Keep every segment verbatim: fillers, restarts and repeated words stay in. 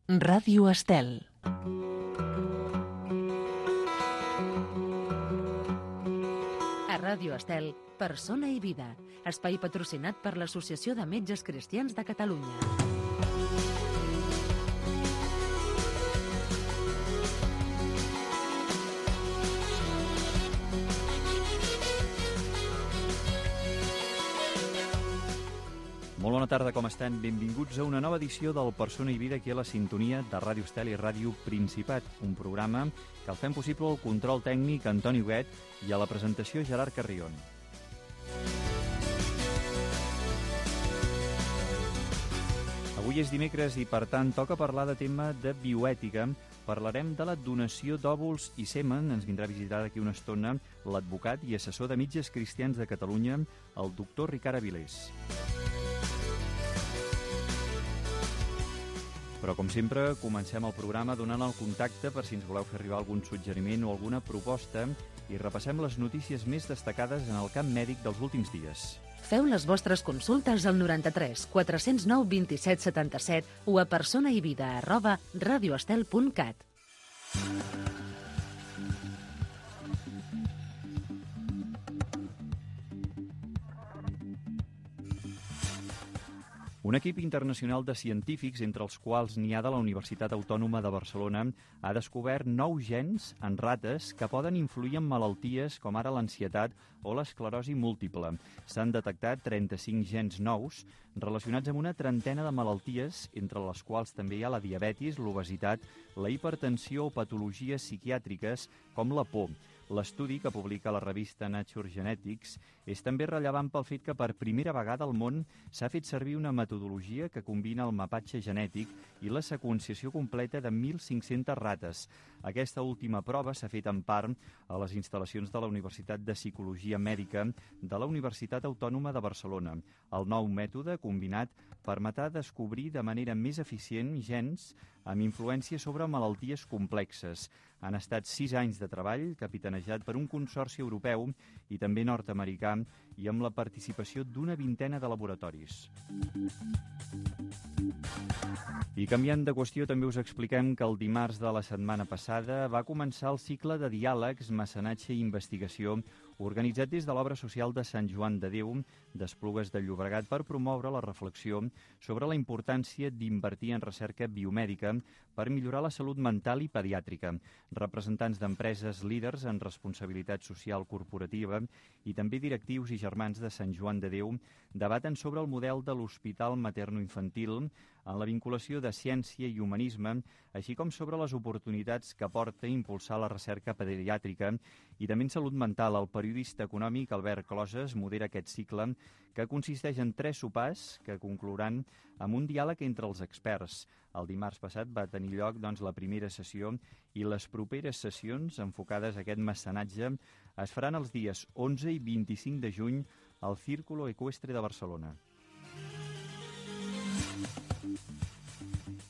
Ràdio Estel. A Ràdio Estel, Persona i Vida, espai patrocinat per l'Associació de Metges Cristians de Catalunya. Molt bona tarda, com estan? Benvinguts a una nova edició del Persona i Vida aquí a la sintonia de Ràdio Estel i Ràdio Principat, un programa que el fem possible al control tècnic Antoni Huguet i a la presentació Gerard Carrion. Avui és dimecres i, per tant, toca parlar de tema de bioètica. Parlarem de la donació d'òvuls i semen. Ens vindrà a visitar d'aquí una estona l'advocat i assessor de Metges Cristians de Catalunya, el doctor Ricard Avilés. Però, com sempre, comencem el programa donant el contacte per si ens voleu fer arribar algun suggeriment o alguna proposta i repassem les notícies més destacades en el camp mèdic dels últims dies. Feu les vostres consultes al noranta-tres quatre zero nou vint-i-set setanta-set o a personaivida arroba radioestel punt cat. Un equip internacional de científics, entre els quals n'hi ha de la Universitat Autònoma de Barcelona, ha descobert nous gens en rates que poden influir en malalties com ara l'ansietat o l'esclerosi múltiple. S'han detectat trenta-cinc gens nous relacionats amb una trentena de malalties, entre les quals també hi ha la diabetis, l'obesitat, la hipertensió o patologies psiquiàtriques com la por. L'estudi, que publica la revista Nature Genetics, és també rellevant pel fet que per primera vegada al món s'ha fet servir una metodologia que combina el mapatge genètic i la seqüenciació completa de mil cinc-centes rates. Aquesta última prova s'ha fet en part a les instal·lacions de la Universitat de Psicologia Mèdica de la Universitat Autònoma de Barcelona. El nou mètode combinat permetrà descobrir de manera més eficient gens amb influència sobre malalties complexes. Han estat sis anys de treball, capitanejat per un consorci europeu i també nord-americà, i amb la participació d'una vintena de laboratoris. I canviant de qüestió, també us expliquem que el dimarts de la setmana passada va començar el cicle de diàlegs, mecenatge i investigació organitzat des de l'obra social de Sant Joan de Déu d'Esplugues de Llobregat per promoure la reflexió sobre la importància d'invertir en recerca biomèdica per millorar la salut mental i pediàtrica. Representants d'empreses líders en responsabilitat social corporativa i també directius i germans de Sant Joan de Déu debaten sobre el model de l'Hospital Materno-Infantil en la vinculació de ciència i humanisme, així com sobre les oportunitats que porta a impulsar la recerca pediàtrica i també en salut mental. El periodista econòmic Albert Closes modera aquest cicle, que consisteix en tres sopars que conclouran amb un diàleg entre els experts. El dimarts passat va tenir lloc doncs, la primera sessió i les properes sessions enfocades a aquest mecenatge es faran els dies onze i vint-i-cinc de juny al Círculo Ecuestre de Barcelona.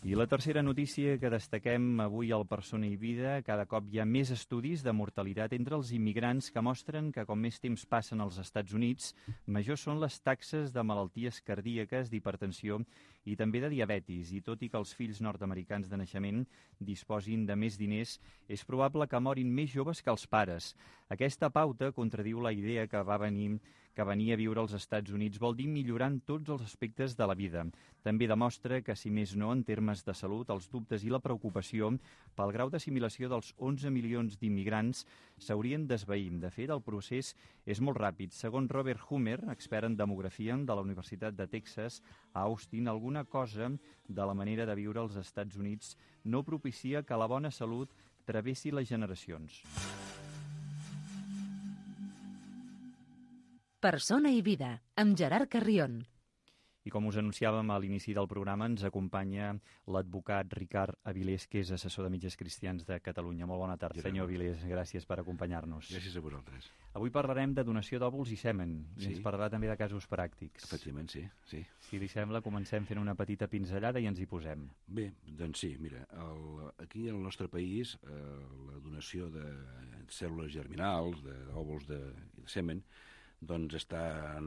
I la tercera notícia que destaquem avui al Persona i Vida: cada cop hi ha més estudis de mortalitat entre els immigrants que mostren que com més temps passen als Estats Units, majors són les taxes de malalties cardíaques, d'hipertensió i també de diabetis. I tot i que els fills nord-americans de naixement disposin de més diners, és probable que morin més joves que els pares. Aquesta pauta contradiu la idea que va venir que venir a viure als Estats Units vol dir millorar en tots els aspectes de la vida. També demostra que, si més no, en termes de salut, els dubtes i la preocupació pel grau d'assimilació dels onze milions d'immigrants s'haurien d'esvair. De fet, el procés és molt ràpid. Segons Robert Humer, expert en demografia de la Universitat de Texas a Austin, alguna cosa de la manera de viure als Estats Units no propicia que la bona salut travessi les generacions. Persona i Vida, amb Gerard Carrion. I com us anunciàvem a l'inici del programa, ens acompanya l'advocat Ricard Avilés, que és assessor de Metges Cristians de Catalunya. Molt bona tarda, senyor Avilés. Gràcies per acompanyar-nos. Gràcies a vosaltres. Avui parlarem de donació d'òvuls i semen. I sí. Ens parlarà també de casos pràctics. Efectivament, sí, sí. Si li sembla, comencem fent una petita pinzellada i ens hi posem. Bé, doncs sí, mira, el, aquí al nostre país eh, la donació de cèl·lules germinals, d'òvuls de, de, de semen, doncs està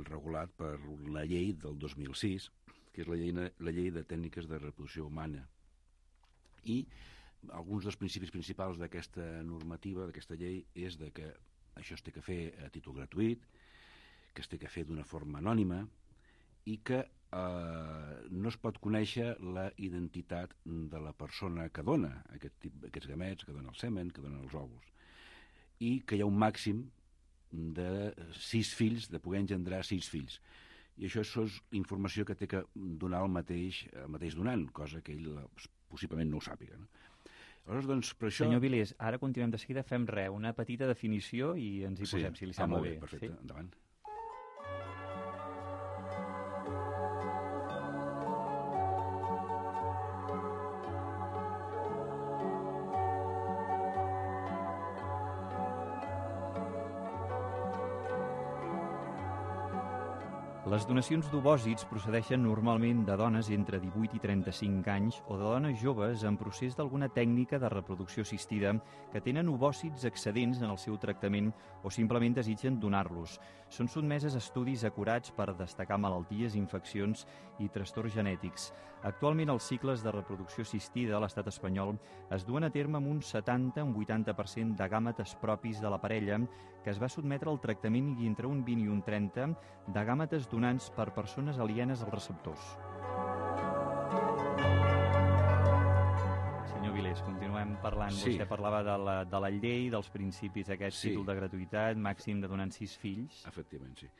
regulat per la llei del dos mil sis, que és la llei, la llei de tècniques de reproducció humana. I alguns dels principis principals d'aquesta normativa, d'aquesta llei, és de que això es té que fer a títol gratuït, que es té que fer d'una forma anònima i que eh, no es pot conèixer la identitat de la persona que dona aquest tip, aquests gamets, que dona el semen, que dona els òvuls. I que hi ha un màxim de sis fills, de poder engendrar sis fills. I això és informació que té que donar el mateix, el mateix donant, cosa que ell possiblement no ho sàpiga. No? Aleshores, doncs, per això... Senyor Vilés, ara continuem de seguida, fem res, una petita definició i ens hi sí. posem, si li sembla ah, bé. bé. Perfecte, sí? Endavant. Les donacions d'ovòcits procedeixen normalment de dones entre divuit i trenta-cinc anys o de dones joves en procés d'alguna tècnica de reproducció assistida que tenen ovòcits excedents en el seu tractament o simplement desitgen donar-los. Són sotmeses a estudis acurats per destacar malalties, infeccions i trastorns genètics. Actualment els cicles de reproducció assistida a l'estat espanyol es duen a terme amb un setanta a un vuitanta per cent de gàmetes propis de la parella que es va sotmetre al tractament i entre un vint i un trenta de gàmetes donants per persones alienes als receptors. Senyor Vilés, continuem parlant. Sí. Vostè parlava de la, de la llei, dels principis d'aquest Sí. títol de gratuïtat, màxim de donant sis fills. Efectivament, sí.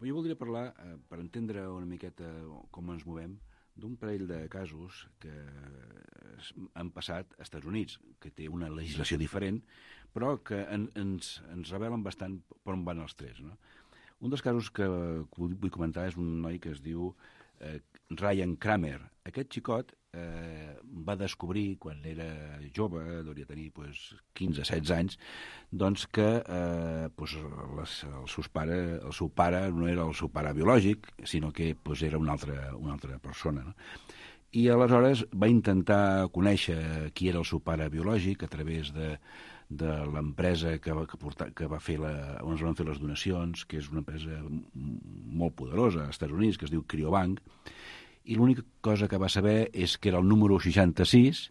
Jo voldria parlar, eh, per entendre una miqueta com ens movem, d'un parell de casos que han passat als Estats Units, que té una legislació diferent, però que en, ens, ens revelen bastant per on van els tres. No? Un dels casos que vull comentar és un noi que es diu eh, Ryan Kramer. Aquest xicot eh, va descobrir, quan era jove, hauria de tenir pues, quinze a setze anys, doncs que eh, pues, les, els seus pare, el seu pare no era el seu pare biològic, sinó que pues, era una altra, una altra persona. No? I aleshores va intentar conèixer qui era el seu pare biològic a través de, de l'empresa que va, que, porta, que va fer la, on es van fer les donacions, que és una empresa molt poderosa als Estats Units, que es diu Cryobank, i l'única cosa que va saber és que era el número seixanta-sis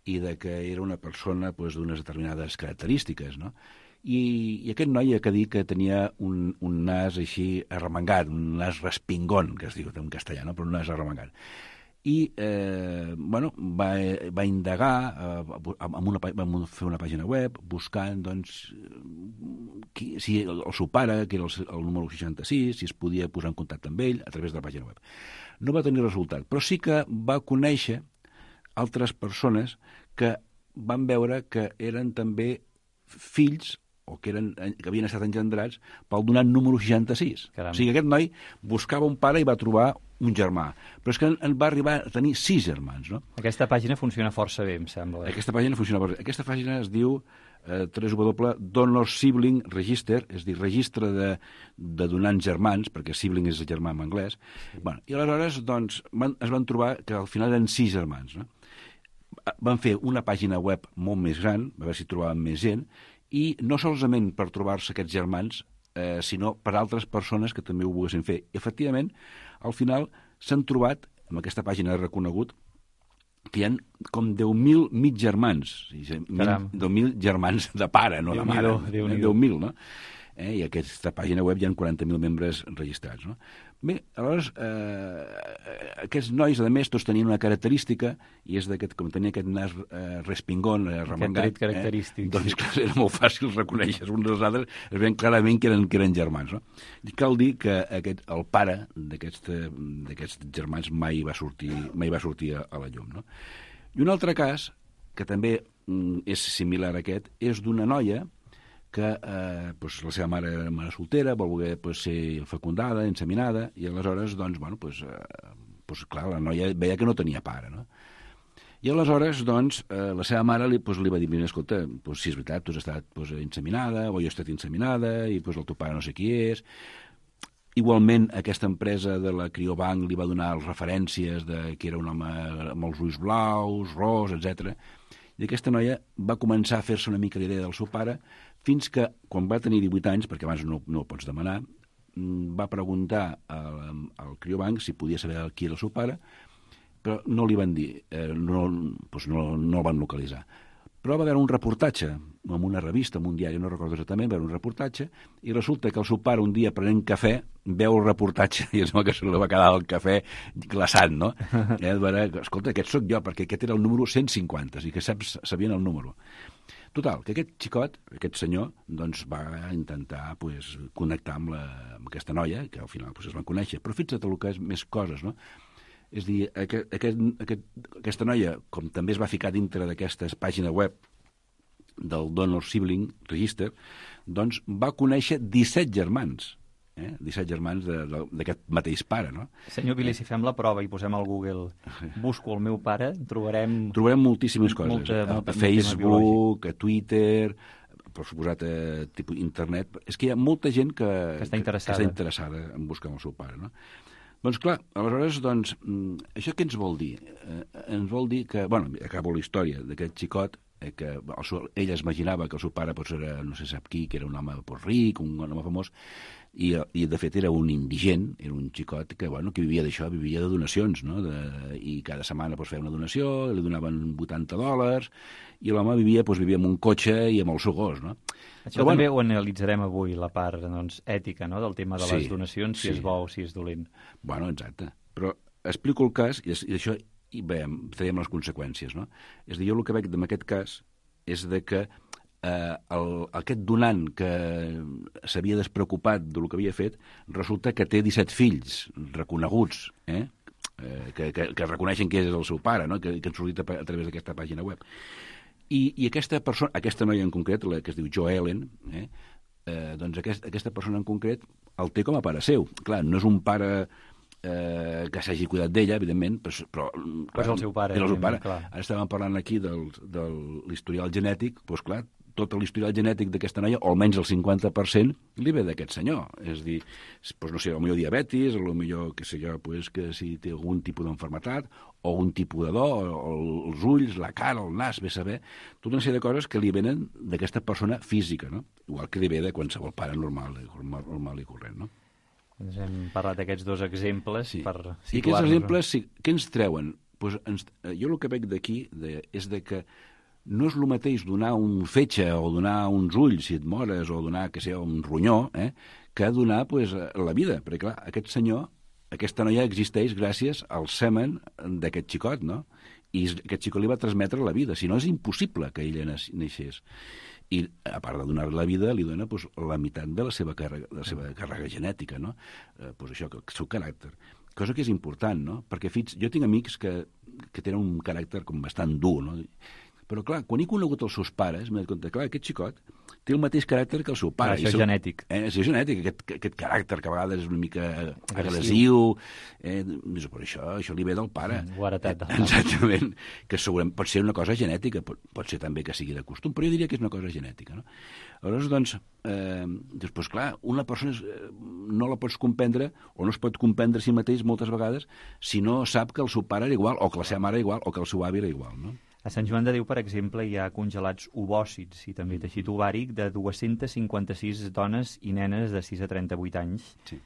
i de que era una persona pues, d'unes determinades característiques, no? I, i aquest noi ha de dir que tenia un, un nas així arremangat, un nas respingón, que es diu en castellà, no? Però un nas arremangat. I eh, bueno, va, va indagar, eh, amb una, va fer una pàgina web buscant doncs, qui, si el, el seu pare, que era el, el número seixanta-sis, si es podia posar en contacte amb ell a través de la pàgina web. No va tenir resultat, però sí que va conèixer altres persones que van veure que eren també fills o que, eren, que havien estat engendrats pel donant número seixanta-sis. Caram. O sigui, aquest noi buscava un pare i va trobar un germà. Però és que en va arribar a tenir sis germans, no? Aquesta pàgina funciona força bé, em sembla. Aquesta pàgina funciona força bé. Aquesta pàgina es diu eh, w w w punt donor sibling register, és a dir, registre de, de donants germans, perquè sibling és germà en anglès. Sí. Bueno, i aleshores doncs, van, es van trobar que al final eren sis germans, no? Van fer una pàgina web molt més gran, a veure si trobaven més gent, i no solament per trobar-se aquests germans, eh, sinó per altres persones que també ho volguessin fer. I, efectivament, al final s'han trobat, amb aquesta pàgina de reconegut, que hi ha com deu mil mig germans. deu mil germans de pare, no de mare. deu mil, no? Eh, I a aquesta pàgina web hi ha quaranta mil membres registrats, no? Bé, aleshores, eh, aquests nois, a més, tots tenien una característica, i és d'aquest, com tenia aquest nas eh, respingón, eh, remengat, aquest tret característic. Eh, doncs, clar, era molt fàcil reconèixer uns dels altres, es veien clarament que eren, que eren germans, no? I cal dir que aquest, el pare d'aquests germans mai va sortir, mai va sortir a, a la llum, no? I un altre cas, que també mm, és similar a aquest, és d'una noia que eh, pues, la seva mare era mare soltera, vol voler pues, ser fecundada, inseminada, i aleshores, doncs, bueno, pues, eh, pues, clar, la noia veia que no tenia pare, no? I aleshores, doncs, eh, la seva mare li, pues, li va dir, mira, escolta, pues, si és veritat, tu has estat pues, inseminada, o jo he estat inseminada, i pues, el teu pare no sé qui és. Igualment, aquesta empresa de la Cryobank li va donar les referències de que era un home amb els ulls blaus, ros, etcètera. I aquesta noia va començar a fer-se una mica l'idea del seu pare, fins que, quan va tenir divuit anys, perquè abans no, no ho pots demanar, va preguntar al, al Cryobank si podia saber qui era el seu pare, però no li van dir, eh, no, doncs no, no el van localitzar. Però va haver un reportatge en una revista, en un diari, no recordo exactament, va haver un reportatge, i resulta que el seu pare un dia prenent cafè veu el reportatge i es veu que se li va quedar el cafè glaçant, no? Eh, veure, escolta, aquest sóc jo, perquè aquest era el número cent cinquanta, i que saps, sabien el número. Total, que aquest xicot, aquest senyor, doncs va intentar pues, connectar amb, la, amb aquesta noia, que al final pues, es van conèixer, però fixa't el que és més coses, no? És a dir, aquest, aquest, aquest, aquesta noia, com també es va ficar dintre d'aquesta pàgina web del Donor Sibling Register, doncs va conèixer disset germans, eh? disset germans d'aquest mateix pare, no? Senyor Vili, eh? Si fem la prova i posem al Google busco el meu pare, trobarem... Trobarem moltíssimes coses. Molta, molta, a Facebook, a Twitter, per suposat a tipus internet. És que hi ha molta gent que, que, està, interessada. que està interessada en buscar el seu pare, no? Doncs clar, aleshores, doncs, això què ens vol dir? Eh, ens vol dir que, bueno, acabo la història d'aquest xicot, eh, que el seu, ell es imaginava que el seu pare pues, era, no sé sap qui, que era un home pues, ric, un home famós, i, i de fet era un indigent, era un xicot que, bueno, que vivia d'això, vivia de donacions, no? De, i cada setmana pues, feia una donació, li donaven vuitanta dòlars, i l'home vivia, pues, vivia amb un cotxe i amb el seu gos, no? Això però, també bueno, ho analitzarem avui, la part doncs, ètica, no?, del tema de sí, les donacions, si sí. és bo o si és dolent. Bueno, exacte. Però explico el cas, i, i això i veiem, traiem les conseqüències, no? És a dir, jo el que veig en aquest cas és de que eh, el, aquest donant que s'havia despreocupat del que havia fet, resulta que té disset fills reconeguts, eh? Eh, que, que, que reconeixen que és el seu pare, no? que, que han sortit a, a través d'aquesta pàgina web. I, i aquesta persona, aquesta noia en concret, la que es diu Jo Ellen, eh, eh, doncs aquest, aquesta persona en concret el té com a pare seu. Clar, no és un pare eh, que s'hagi cuidat d'ella, evidentment, però, però clar, és el seu pare. És el seu pare. Ara estàvem parlant aquí del, de l'historial genètic, doncs clar, tot l'historial genètic d'aquesta noia, o almenys el cinquanta per cent, li ve d'aquest senyor. És a dir, doncs, no sé, potser diabetis, o potser, que sé jo, pues, que si té algun tipus d'enfermetat, o un tipus de do, o els ulls, la cara, el nas, bé saber, tota una sèrie de coses que li venen d'aquesta persona física, no? Igual que li ve de qualsevol pare normal, normal i corrent, no? Ens hem parlat d'aquests dos exemples sí. per situar-nos. I aquests exemples, sí, què ens treuen? Pues ens, jo el que veig d'aquí de, és de que no és el mateix donar un fetge o donar uns ulls si et mores o donar, que sé, un ronyó, eh, que donar pues, la vida. Perquè, clar, aquest senyor, aquesta noia existeix gràcies al semen d'aquest xicot, no? I aquest xicot li va transmetre la vida. Si no, és impossible que ella naixés. I, a part de donar la vida, li dona pues, la meitat de la seva càrrega, de la seva càrrega genètica, no? Eh, pues això, el seu caràcter. Cosa que és important, no? Perquè, fins, jo tinc amics que, que tenen un caràcter com bastant dur, no? Però, clar, quan he conegut els seus pares, m'he donat compte, clar, aquest xicot té el mateix caràcter que el seu pare. Ah, això és seu, genètic. Eh, això és genètic, aquest, aquest caràcter que a vegades és una mica agressiu. Eh, per això, això li ve del pare. Mm, ho ha heretat del pare. Exactament. Que segurament pot ser una cosa genètica, pot, pot ser també que sigui de costum, però jo diria que és una cosa genètica, no? Aleshores, doncs, eh, després, clar, una persona eh, no la pots comprendre, o no es pot comprendre a si mateix moltes vegades, si no sap que el seu pare era igual, o que la seva mare era igual, o que el seu avi era igual, no? A Sant Joan de Déu, per exemple, hi ha congelats ovòcits i també teixit ovàric de dues-centes cinquanta-sis dones i nenes de sis a trenta-vuit anys. Sí.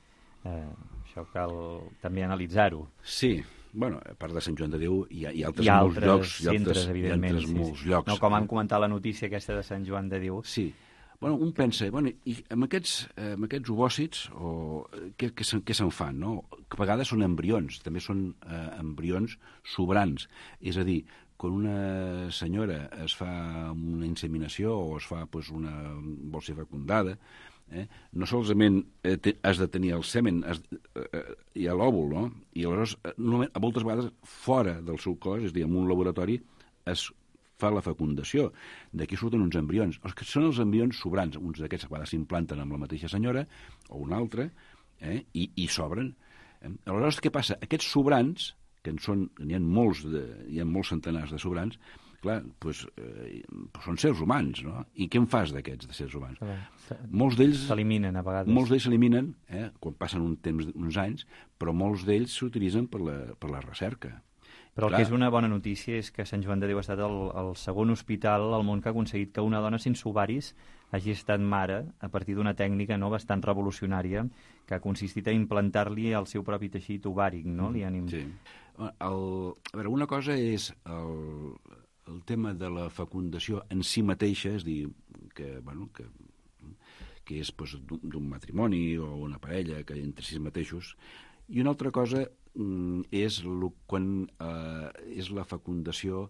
Eh, això cal també analitzar-ho. Sí, bueno, a part de Sant Joan de Déu hi ha, hi ha altres, hi ha molts altres llocs. Hi ha altres, altres evidentment. Sí, molts sí. llocs. No, com han comentat la notícia aquesta de Sant Joan de Déu. Sí. Bueno, un pensa, bueno, i amb aquests, amb aquests ovòcits, o, què, què, se'n, què se'n fan, no? Que a vegades són embrions, també són eh, embrions sobrants. És a dir, quan una senyora es fa una inseminació o es fa pues, una, vol ser fecundada, eh, no solament eh, te, has de tenir el semen, has, eh, hi ha l'òvul, no? I aleshores, no, a moltes vegades, fora del seu cos, és a dir, en un laboratori, es fa la fecundació. D'aquí surten uns embrions. Els que són els embrions sobrants, uns d'aquests a vegades s'implanten amb la mateixa senyora o una altra, eh, i, i s'obren. Eh? Aleshores, què passa? Aquests sobrants, que en són, n'hi ha molts, de, hi ha molts centenars de sobrants, clar, doncs, eh, són sers humans, no? I què en fas d'aquests, de sers humans? Molts d'ells s'eliminen a vegades. Molts d'ells s'eliminen, eh, quan passen un temps, uns anys, però molts d'ells s'utilitzen per la, per la recerca. Però el clar. Que és una bona notícia és que Sant Joan de Déu ha estat el, el segon hospital al món que ha aconseguit que una dona sense ovaris hagi estat mare a partir d'una tècnica no, bastant revolucionària que ha consistit a implantar-li el seu propi teixit ovàric, no? Li han... Sí. El, a veure, una cosa és el, el tema de la fecundació en si mateixa, és dir, que, bueno, que, que és pues, d'un matrimoni o una parella que entre si mateixos, i una altra cosa mm, és, lo, quan, eh, és la fecundació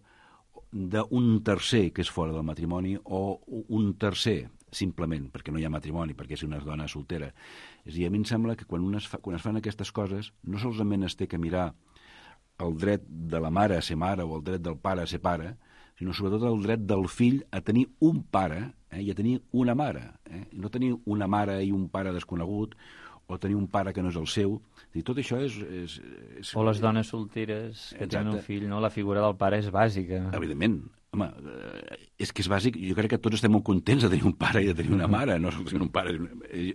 d'un tercer que és fora del matrimoni o un tercer simplement perquè no hi ha matrimoni, perquè és una dona soltera. És a dir, a mi em sembla que quan, es fa, quan es fan aquestes coses no solament es té que mirar el dret de la mare a ser mare o el dret del pare a ser pare, sinó sobretot el dret del fill a tenir un pare eh, i a tenir una mare. Eh? No tenir una mare i un pare desconegut o tenir un pare que no és el seu. I tot això és... és, és... O les dones solteres que Exacte. tenen un fill, no? La figura del pare és bàsica. Evidentment. Home, és que és bàsic. Jo crec que tots estem molt contents de tenir un pare i de tenir una mare. No tenir un pare,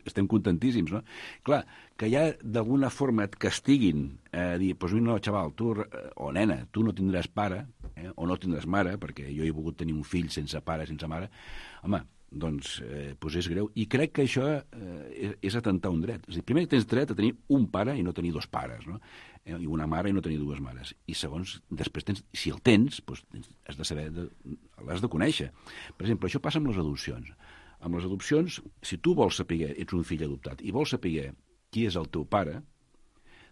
estem contentíssims, no? Clar, que ja d'alguna forma et castiguin a eh, dir, doncs no, xaval, tu, o nena, tu no tindràs pare, eh, o no tindràs mare, perquè jo he volgut tenir un fill sense pare, sense mare. Home, doncs, eh, doncs és greu. I crec que això eh, és, és atentar un dret. És a dir, primer tens dret a tenir un pare i no tenir dos pares, no? Eh, i una mare i no tenir dues mares. I segons, després, tens, si el tens, doncs tens, has de saber, de, l'has de conèixer. Per exemple, això passa amb les adopcions. Amb les adopcions, si tu vols saber, ets un fill adoptat, i vols saber qui és el teu pare,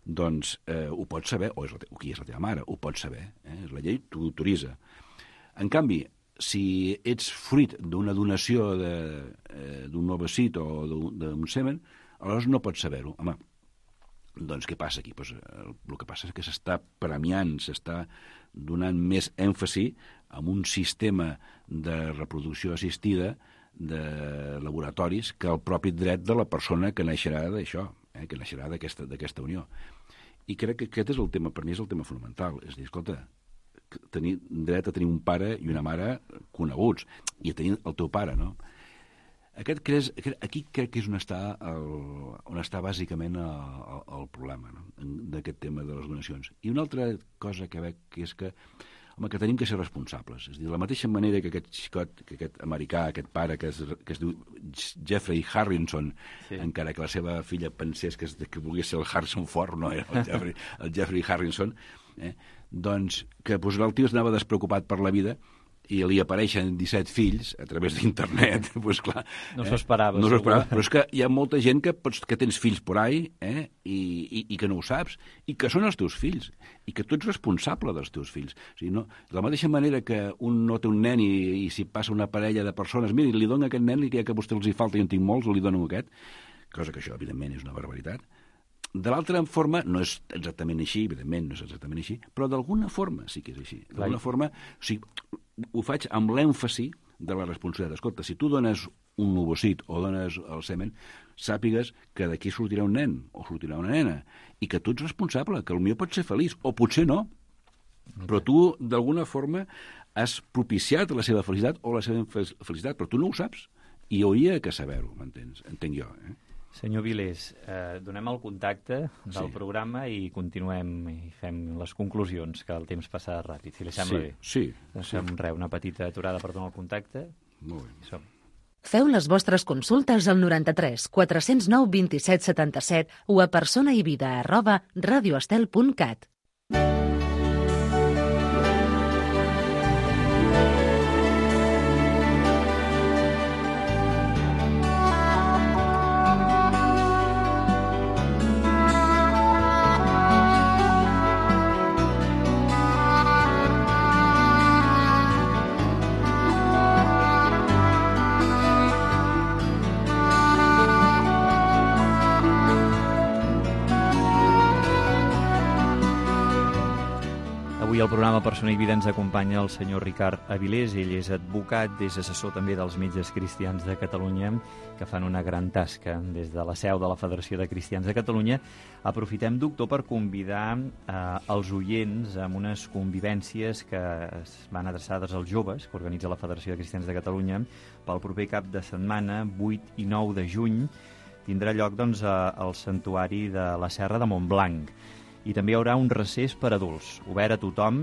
doncs eh, ho pots saber, o, és la te- o qui és la teva mare, ho pots saber. Eh? La llei t'ho autoritza. En canvi, si ets fruit d'una donació de, eh, d'un novacit o d'un, d'un semen, aleshores no pots saber-ho. Home, doncs què passa aquí? Pues, el, el que passa és que s'està premiant, s'està donant més èmfasi en un sistema de reproducció assistida de laboratoris que el propi dret de la persona que naixerà d'això, eh, que naixerà d'aquesta, d'aquesta unió. I crec que aquest és el tema, per mi és el tema fonamental. És a dir, escolta, tenir dret a tenir un pare i una mare coneguts, i a tenir el teu pare, no? Aquest, creus, aquí crec que és on està, el, on està bàsicament el, el, el problema, no? D'aquest tema de les donacions. I una altra cosa que veig que és que, home, que tenim que ser responsables. És a dir, de la mateixa manera que aquest xicot, que aquest americà, aquest pare que es, que es diu Jeffrey Harrison, sí. Encara que la seva filla pensés que, es, que volgués ser el Harrison Ford, no era el Jeffrey, el Jeffrey Harrison, eh? Doncs que doncs, el tio es anava despreocupat per la vida i li apareixen disset fills a través d'internet, doncs clar... No s'ho esperava. Eh? No s'ho esperava, però és que hi ha molta gent que, pots, que tens fills por ahí eh? I, i, i que no ho saps, i que són els teus fills, i que tu ets responsable dels teus fills. O sigui, no, de la mateixa manera que un no té un nen i, i si passa una parella de persones, miri, li dono aquest nen i ja que a vostè els hi falta i en tinc molts, li dono aquest, cosa que això, evidentment, és una barbaritat. De l'altra forma, no és exactament així, evidentment no és exactament així, però d'alguna forma sí que és així. D'alguna forma, o sigui, ho faig amb l'èmfasi de la responsabilitat. Escolta, si tu dones un ovocit o dones el semen, sàpigues que d'aquí sortirà un nen o sortirà una nena i que tu ets responsable, que potser pot ser feliç o potser no, però tu d'alguna forma has propiciat la seva felicitat o la seva felicitat, però tu no ho saps i hauria que saber-ho, m'entens? Entenc jo, eh? Senyor Vilés, eh, donem el contacte del Sí. programa i continuem i fem les conclusions, que el temps passa ràpid, si li sembla Sí, bé. sí, Doncs sí. fem res, una petita aturada per donar el contacte. Molt bé. I som. Feu les vostres consultes al noranta-tres quatre cents nou vint-i-set setanta-set o a personaivida arroba radioestel punt cat. Avui al programa Persona i Vida ens acompanya el senyor Ricard Avilés. Ell és advocat, és assessor també dels Metges Cristians de Catalunya, que fan una gran tasca des de la seu de la Federació de Cristians de Catalunya. Aprofitem, doctor, per convidar eh, els oients amb unes convivències que es van adreçades als joves, que organitza la Federació de Cristians de Catalunya, pel proper cap de setmana, vuit i nou de juny, tindrà lloc doncs, al Santuari de la Serra de Montblanc. I també hi haurà un recés per adults, obert a tothom,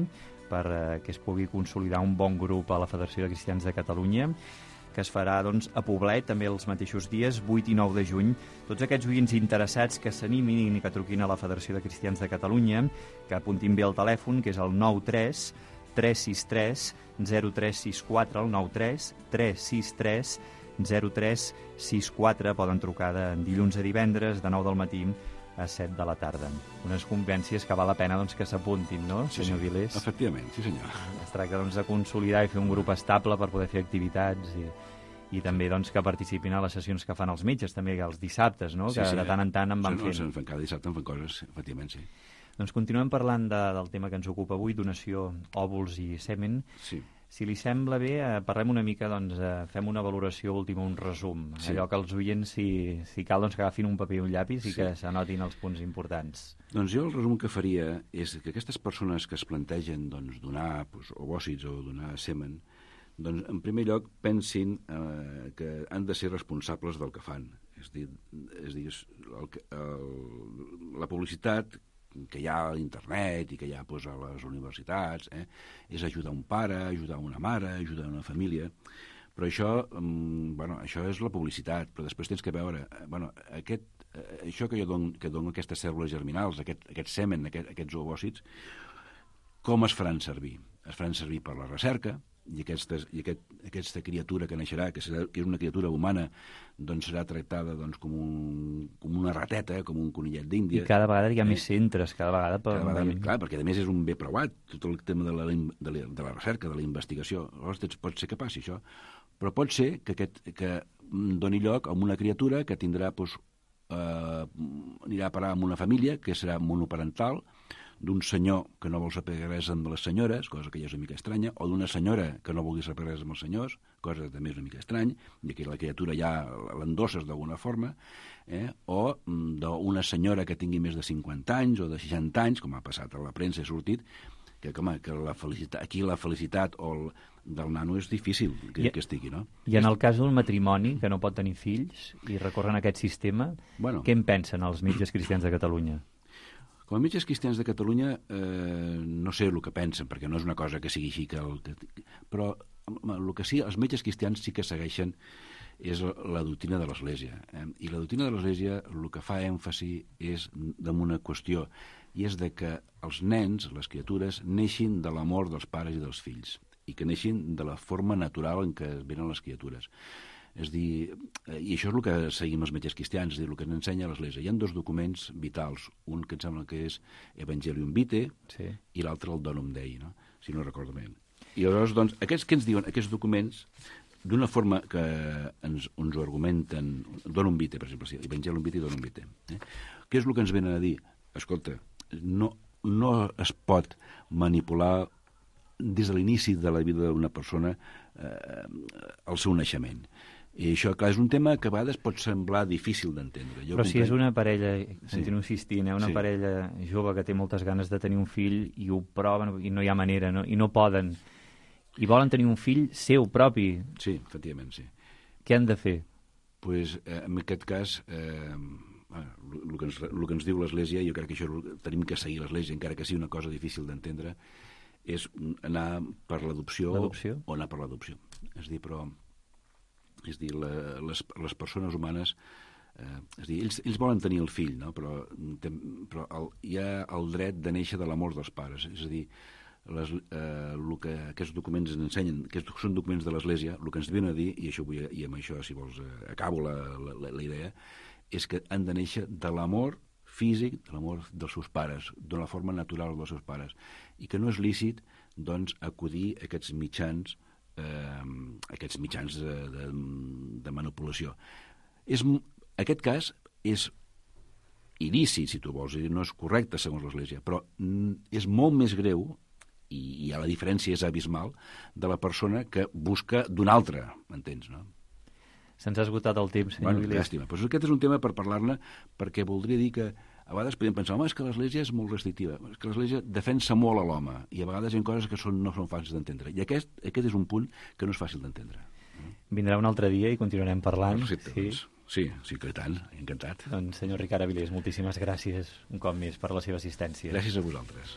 per eh, que es pugui consolidar un bon grup a la Federació de Cristians de Catalunya, que es farà doncs, a Poblet, també els mateixos dies, vuit i nou de juny. Tots aquests oients interessats que s'animin i que truquin a la Federació de Cristians de Catalunya, que apuntin bé el telèfon, que és el nou tres tres sis tres zero tres sis quatre, el nou tres tres sis tres zero tres sis quatre, poden trucar de dilluns a divendres, de nou del matí a set de la tarda. Unes convivències que val la pena doncs, que s'apuntin, no, sí, senyor sí. Vilés? Efectivament, sí senyor. Es tracta doncs, de consolidar i fer un grup estable per poder fer activitats i, i també doncs, que participin a les sessions que fan els metges, també els dissabtes, no? Sí, que sí, de tant en tant en van no, fent. No, cada dissabte en fan coses, efectivament, sí. Doncs continuem parlant de, del tema que ens ocupa avui, donació òvuls i semen. Sí. Si li sembla bé, eh, parlem una mica, doncs, eh, fem una valoració última, un resum. Sí. Allò que els oients, si, si cal, doncs, que agafin un paper i un llapis i sí. que s'anotin els punts importants. Doncs jo el resum que faria és que aquestes persones que es plantegen doncs, donar doncs, ovòcits o donar semen, doncs, en primer lloc, pensin eh, que han de ser responsables del que fan. És dir, és dir el, el, la publicitat que hi ha a internet i que hi ha doncs, a les universitats, eh, és ajudar un pare, ajudar una mare, ajudar una família, però això, mm, bueno, això és la publicitat, però després tens que veure, eh, bueno, aquest, eh, això que jo dono, que dono aquestes cèl·lules germinals, aquest, aquest semen, aquest, aquests ovòcits, com es faran servir? Es faran servir per la recerca, i, aquestes, i aquest, aquesta criatura que naixerà, que, serà, que és una criatura humana, doncs serà tractada doncs, com, un, com una rateta, com un conillet d'Índia. I cada vegada hi ha eh? més centres, cada vegada... Per... Cada vegada, clar, perquè a més és un bé preuat, tot el tema de la, de la, de la recerca, de la investigació. Llavors pot ser que passi això, però pot ser que, aquest, que doni lloc a una criatura que tindrà, doncs, eh, anirà a parar amb una família, que serà monoparental, d'un senyor que no vol saber res amb les senyores, cosa que ja és una mica estranya, o d'una senyora que no vulgui saber res amb els senyors, cosa que també és una mica estrany, i que la criatura ja l'endosses d'alguna forma, eh? o d'una senyora que tingui més de cinquanta anys o de seixanta anys, com ha passat a la premsa, ha sortit, que, home, que la felicitat, aquí la felicitat o el, del nano és difícil que, I, que estigui, no? I en el cas d'un matrimoni que no pot tenir fills i recorren a aquest sistema, bueno, què en pensen els metges cristians de Catalunya? Com a metges cristians de Catalunya, eh, no sé el que pensen, perquè no és una cosa que sigui així, que el, que, però el que sí, els metges cristians sí que segueixen és la doctrina de l'Església. Eh? I la doctrina de l'Església el que fa èmfasi és damunt una qüestió, i és de que els nens, les criatures, neixin de l'amor dels pares i dels fills, i que neixin de la forma natural en què venen les criatures. És dir, i això és el que seguim els metges cristians, és dir, el que ens ensenya l'Església. Hi ha dos documents vitals, un que em sembla que és Evangelium Vitae, sí, i l'altre el Donum Dei, no? Si no recordo bé. I llavors, doncs, aquests que ens diuen, aquests documents, d'una forma que ens, ens ho argumenten, Donum Vitae, per exemple, sí, Evangelium Vitae i Donum Vitae. Eh? Què és el que ens venen a dir? Escolta, no, no es pot manipular des de l'inici de la vida d'una persona eh, el seu naixement. I això, clar, és un tema que a vegades pot semblar difícil d'entendre. Però si és una parella, continuo insistint, eh, una sí. parella jove que té moltes ganes de tenir un fill i ho proven i no hi ha manera, no? I no poden, i volen tenir un fill seu propi. Sí, efectivament, sí. Què han de fer? Pues, eh, en aquest cas, eh, el que ens, el que ens diu l'Església, jo crec que això tenim que seguir l'Església, encara que sigui una cosa difícil d'entendre, és anar per l'adopció o anar per l'adopció. És dir, però... És dir, la, les, les persones humanes, eh, és dir, ells, ells volen tenir el fill, no? però, però el, hi ha el dret de néixer de l'amor dels pares. És a dir, les, eh, el que aquests documents ens ensenyen, aquests són documents de l'Església, el que ens venen a dir, i, això vull, i amb això, si vols, eh, acabo la, la, la idea, és que han de néixer de l'amor físic, de l'amor dels seus pares, d'una forma natural dels seus pares, i que no és lícit, doncs, acudir a aquests mitjans Eh, aquests mitjans de, de, de manipulació. És, aquest cas és il·lícit, si tu vols, no és correcte segons l'Església, però és molt més greu, i, i la diferència és abismal, de la persona que busca d'un altre, m'entens, no? Se'ns ha esgotat el temps, senyor bueno, Vilés. Llàstima. Pues aquest és un tema per parlar-ne, perquè voldria dir que a vegades podem pensar, home, és que l'Església és molt restrictiva, és que l'Església defensa molt a l'home, i a vegades hi ha coses que són, no són fàcils d'entendre. I aquest, aquest és un punt que no és fàcil d'entendre. Vindrà un altre dia i continuarem parlant. Perfecte, sí. Doncs, sí, sí que tant, encantat. Doncs, senyor Ricard Avilés, moltíssimes gràcies un cop més per la seva assistència. Gràcies a vosaltres.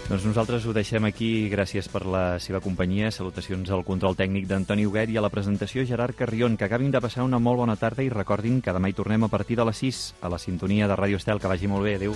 Doncs nosaltres ho deixem aquí. Gràcies per la seva companyia. Salutacions al control tècnic d'Antoni Huguet i a la presentació Gerard Carrion. Que acabin de passar una molt bona tarda i recordin que demà hi tornem a partir de les sis a la sintonia de Ràdio Estel. Que vagi molt bé. Adéu.